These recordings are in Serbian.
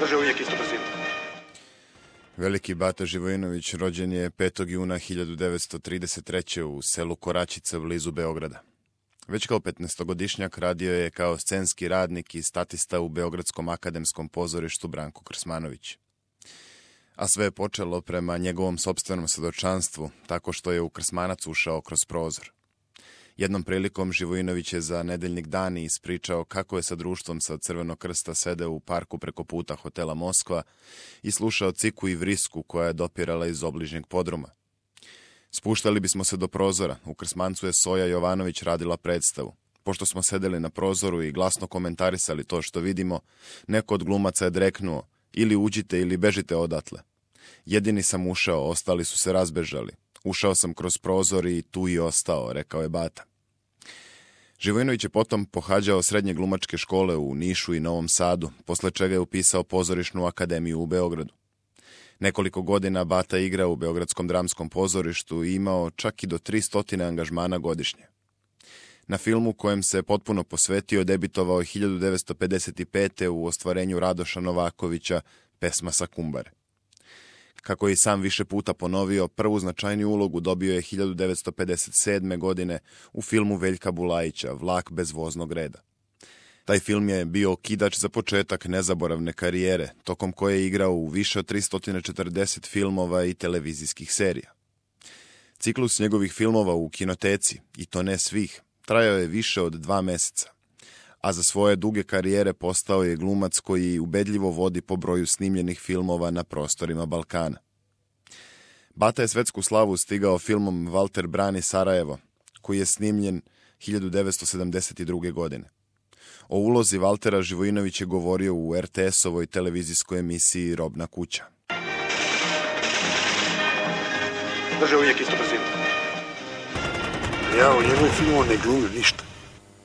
Drže uvijek istu brzinu. Veliki Bata Živojinović rođen je 5. juna 1933. u selu Koračica blizu Beograda. Već kao 15-godišnjak radio je kao scenski radnik i statista u Beogradskom akademskom pozorištu Branko Krsmanović. A sve je počelo prema njegovom sopstvenom svedočanstvu, tako što je u Krsmanac ušao kroz prozor. Jednom prilikom Živojinović je za Nedeljnik Dani ispričao kako je sa društvom sa Crvenog krsta sedeo u parku preko puta hotela Moskva i slušao ciku i vrisku koja je dopirala iz obližnjeg podruma. Spuštali bismo se do prozora, u Krsmancu je Soja Jovanović radila predstavu. Pošto smo sedeli na prozoru i glasno komentarisali to što vidimo, neko od glumaca je dreknuo: ili uđite ili bežite odatle. Jedini sam ušao, ostali su se razbežali. Ušao sam kroz prozor i tu i ostao, rekao je Bata. Živojinović je potom pohađao srednje glumačke škole u Nišu i Novom Sadu, posle čega je upisao pozorišnu akademiju u Beogradu. Nekoliko godina Bata igrao u Beogradskom dramskom pozorištu i imao čak i do 300 angažmana godišnje. Na filmu kojem se potpuno posvetio debitovao je 1955. u ostvarenju Radoša Novakovića Pesma sa Kumbare. Kako je i sam više puta ponovio, prvu značajniju ulogu dobio je 1957. godine u filmu Veljka Bulajića Vlak bez voznog reda. Taj film je bio okidač za početak nezaboravne karijere, tokom koje je igrao u više od 340 filmova i televizijskih serija. Ciklus njegovih filmova u kinoteci, i to ne svih, trajao je više od 2 meseca, a za svoje duge karijere postao je glumac koji ubedljivo vodi po broju snimljenih filmova na prostorima Balkana. Bata je svetsku slavu stigao filmom Valter brani Sarajevo, koji je snimljen 1972. godine. O ulozi Valtera Živojinović je govorio u RTS-ovoj televizijskoj emisiji Robna kuća. Drže uvijek istu brzinu. Ja u njegovom filmu ne glumim ništa.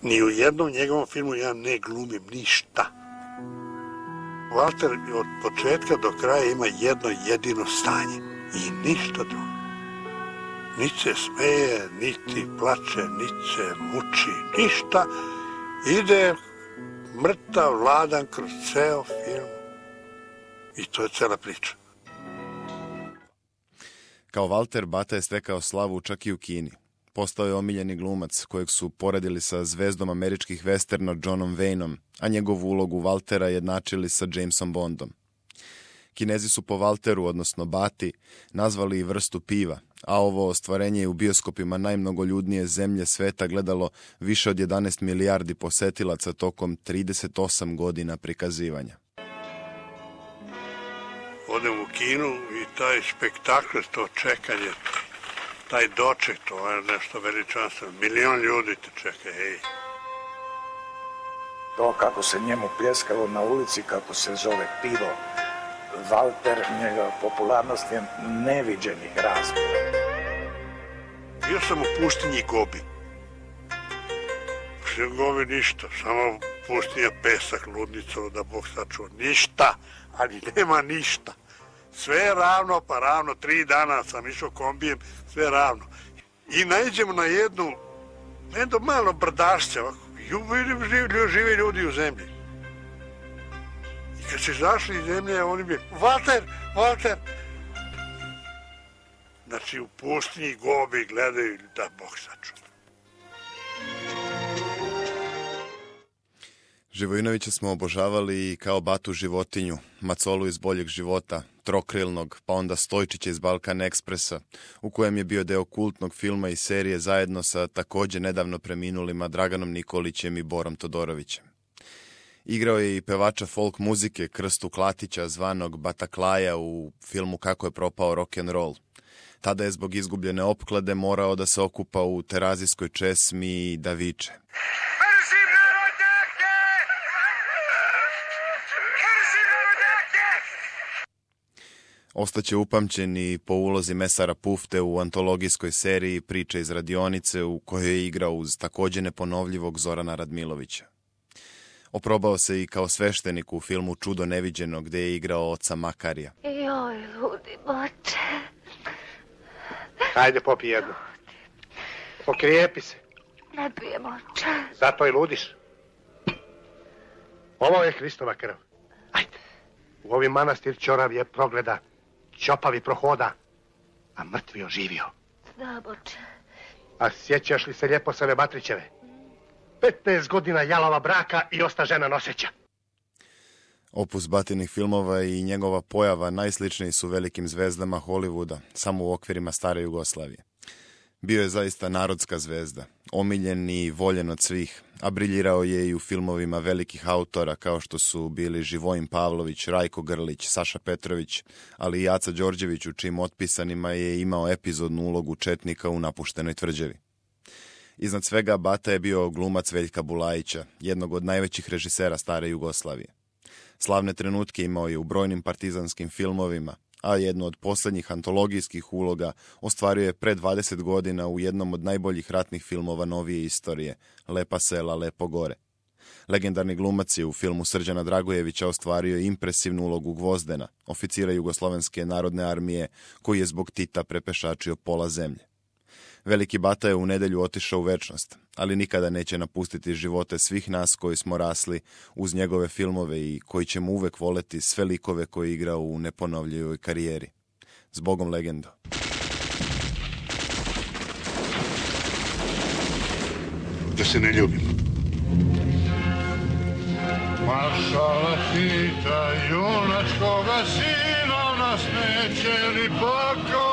Ni u jednom njegovom filmu ja ne glumim ništa. Valter od početka do kraja ima jedno jedino stanje i ništa drugo. Niti se smeje, niti plače, niti se muči, ništa. Ide mrtav, vladan kroz ceo film. I to je cela priča. Kao Valter, Bata je stekao slavu čak i u Kini. Postao je omiljeni glumac kojeg su poredili sa zvezdom američkih westerna Johnom Wayneom, a njegovu ulogu Valtera jednačili sa Jamesom Bondom. Kinezi su po Valteru, odnosno Bati, nazvali i vrstu piva, a ovo ostvarenje je u bioskopima najmnogoljudnije zemlje sveta gledalo više od 11 milijardi posetilaca tokom 38 godina prikazivanja. Odem u kinu i taj spektakl, to čekanje, taj doček, to je nešto veličanstveno. 1 milion ljudi te čeka, hej. To kako se njemu pljeskalo na ulici, kako se zove pivo Valter, njega popularnost je neviđenih razmjera. Bio sam u pustinji Gobi. U Gobi ništa, samo pustinja, pesak, ludnica, da Bog sačuva. Ništa, ali nema ništa. Sve je ravno, pa ravno, 3 dana sam išao kombijem, sve je ravno. I naiđemo na jedno malo brdašće, žive ljudi u zemlji. I kad se izašli iz zemlje, oni bi, Valter! Znači, u pustinji Gobi gledaju, da Bog sačuva. Živojinovića smo obožavali i kao Batu životinju, Macolu iz Boljeg života, Trokrilnog, pa onda Stojčića iz Balkan Ekspresa, u kojem je bio deo kultnog filma i serije zajedno sa također nedavno preminulima Draganom Nikolićem i Borom Todorovićem. Igrao je i pevača folk muzike Krstu Klatića, zvanog Bataklaja, u filmu Kako je propao rock'n'roll. Tada je zbog izgubljene opklade morao da se okupa u terazijskoj česmi i da viče. Ostaće upamćen i po ulozi mesara Pufte u antologijskoj seriji Priče iz radionice, u kojoj je igrao uz također neponovljivog Zorana Radmilovića. Oprobao se i kao sveštenik u filmu Čudo neviđeno, gde je igrao oca Makarija. Joj, ludi boče. Ajde, popi jednu. Pokrijepi se. Ne pijem, oče. Zato i ludiš. Ovo je Hristova krv. Ajde. U ovi manastir ćorav je progleda, ćopavi prohoda, a mrtvi oživio. Znam, oče. A sjećaš li se lijepo Save Batrićeve? 15 godina jalova braka i osta žena noseća. Opus Batinih filmova i njegova pojava najsličniji su velikim zvezdama Hollywooda, samo u okvirima stare Jugoslavije. Bio je zaista narodska zvezda, omiljen i voljen od svih, a briljirao je i u filmovima velikih autora kao što su bili Živojin Pavlović, Rajko Grlić, Saša Petrović, ali i Aca Đorđević, u čijim otpisanima je imao epizodnu ulogu četnika u Napuštenoj tvrđavi. Iznad svega Bata je bio glumac Veljka Bulajića, jednog od najvećih režisera stare Jugoslavije. Slavne trenutke imao je u brojnim partizanskim filmovima, a jednu od posljednjih antologijskih uloga ostvario je pre 20 godina u jednom od najboljih ratnih filmova novije istorije, Lepa sela, lepo gore. Legendarni glumac je u filmu Srđana Dragojevića ostvario impresivnu ulogu Gvozdena, oficira Jugoslovenske narodne armije, koji je zbog Tita prepešačio pola zemlje. Veliki Bata je u nedjelju otišao u večnost, ali nikada neće napustiti živote svih nas koji smo rasli uz njegove filmove i koji ćemo uvek voleti sve likove koje je igrao u neponovljivoj karijeri. Zbogom, legendo. Da se ne ljubimo. Maršala Tita, junačkoga sina, nas neće li pakao